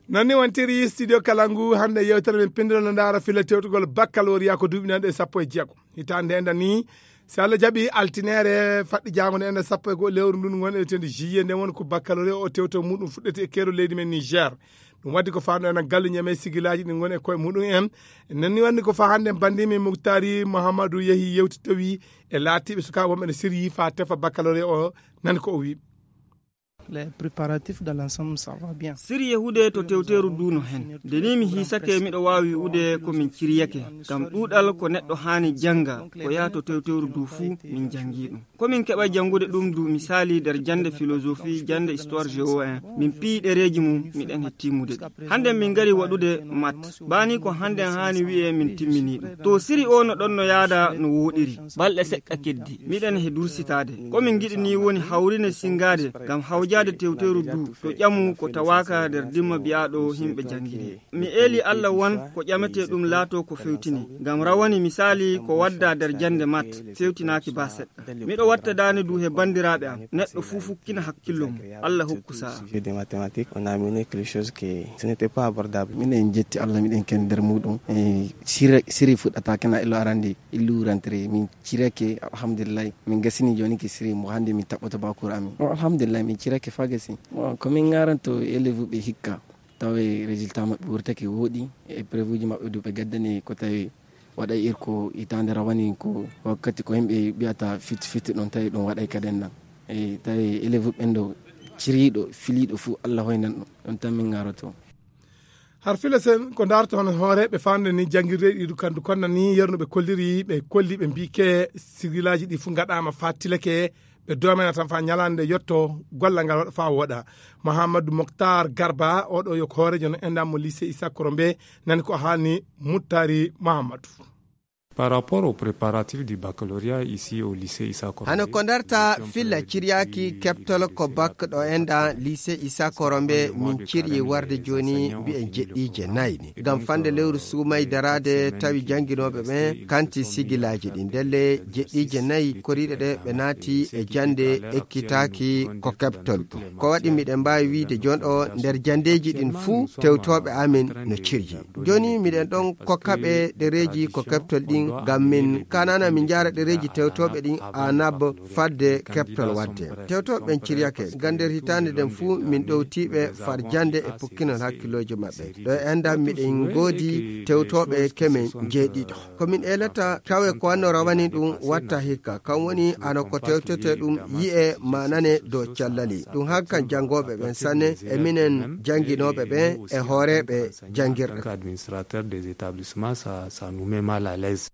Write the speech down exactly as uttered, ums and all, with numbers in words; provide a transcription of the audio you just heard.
Noon ni wontiri studio kala ngu hannde yewtere men pinndere no ndaara filla tewtugol baccalauréat ko duuɓi nanɗe sappo e jeego. Hitaande enda ni, si Allah jaɓi, altineere faɗɗi jaango ne enda sappo e goo lewru ndun ngon e tewti juillet nde woni ko baccalauréat o tewto muɗum fuɗɗete e keeru leydi men Niger. Ɗum waddi ko faandu ena gallu ñeme sigilaaji ɗi ngoni e koye muɗum en. Noon ni wonde ko faa hannde banndimi Muktari Muhammadu yehi yewti tawi e laatiiɓe sukaaɓe wonɓe ne siryi faa tefa baccalauréat o. Nani ko o wi. Les préparatifs dans l'ensemble, ça va bien. Siri yehude to tewteeru du no hen. Nde ni mi hiisake, miɗo waawi wi'ude ko min ciryake. Ngam ɗuuɗal ko neɗɗo haani jannga, ko yaha to tewteeru du fuu, min janngi ɗum. Ko min keɓa janngude ɗum du, misaali, nder jannde philosophie, jannde histoire géo en. Min piyi ɗereeji mum, miɗen he timmude ɗi. Hannde min ngari waɗude mat. Baa ni ko hannde haani wi'e min timmini ɗum. To siri o no ɗon no yaada no wooɗiri. Balɗe seɗɗa keddi. Miɗen he dursitaade. Ko min ngiɗi ni woni hawrine singaade ngam hawjaade tewteeru du to ƴamu ko tawaaka nder dimma biyaaɗo himɓe janngini. Mi eeli Allah wan ko ƴametee ɗum laato ko fewtini. Ngam rawani misaali ko wadda nder jannde mat fewtinaaki baa seɗɗa. Miɗo watta daane du he banndiraaɓe am. Neɗɗo fuu fukkina hakkillo mum. Allah hokku sa'a. Sujet de mathématiques, on a amené quelque chose que ce n'était pas abordable. Miɗen jetti Allah, miɗen ken nder muɗum. E siri, siri fuɗɗata kena ilo arande, illu rentrée. Min cirake, alhamdulillah. Min gasini jooni ke siri mo hannde min taɓɓoto bakuru amin. O, alhamdulillah, min cirake fa gasi. Bon, ko min ngaranto élève ɓe hikka. Tawi résultat maɓɓe wurtake wooɗi, e épreuve uji maɓɓe du ɓe gaddani ko tawi waɗay irko hitaande rawani ko wakkati ko yimɓe mbiyata fit fit ɗon tawi ɗum waɗay kaden nan. E tawi élève ɓen ɗo ciriiɗo, filiiɗo fuu Allah hoynan ɗum. Ɗum tan min ngaroto. Har fila sen ko ndaarto hono hooreeɓe faande ni janngirde ɗi kandu konna ni yerno ɓe kolliri, ɓe kolli ɓe mbiike sigilaaji ɗi fuu ngaɗaama faa tilake, ɓe doomena tan faa ñalaande yotto gollal ngal waɗa faa wooɗa. Mouhamadou Moctar Garba, oɗo yo ko hooreejo no endammo lycée Issa Korombe, nani ko haalni Muttari Mouhamadou. Par rapport aux préparatifs du baccalauréat ici au lycée Issa Korombe, hano ko ndarta filla ciryaaki keɓtol ko bak ɗo enda lycée Issa Korombe, min ciryi warde jooni mbiyen jeɗɗiije nayi ni. Ngam fande lewru suumay daraade tawi jannginooɓe ɓen kanti sigilaaji ɗin. Ndelle jeɗɗiije nayi koriiɗe ɗe ɓe naati e jannde ekkitaaki ko keɓtol ɗum. Ko waɗi miɗen mbaawi wiide jooni o nder janndeeji ɗin fuu tewtooɓe amin no ciryi. Jooni miɗen ɗon kokkaɓe ɗereeji ko keɓtol ɗin ngam min kanana min njaara ɗereeji tewtooɓe ɗin anab fadde keɓtol wadde. Tewtooɓe ɓen ciryake ngam nder hitaande nden fuu min ɗowtiiɓe far jannde e pukkinol hakkillooji maɓɓe. Ɗo e enɗam miɗen ngoodi tewtooɓe kemen jeeɗiɗo. Ko min eelata tawe ko wanno rawani ɗum watta hikka. Kan woni ano ko tewtete ɗum yi'e manane dow cellali. Ɗum hankan janngooɓe ɓen sanne e minen jannginooɓe ɓen e hooreeɓe janngirɗe. Administrateur des établissements, ça, ça nous met mal à l'aise.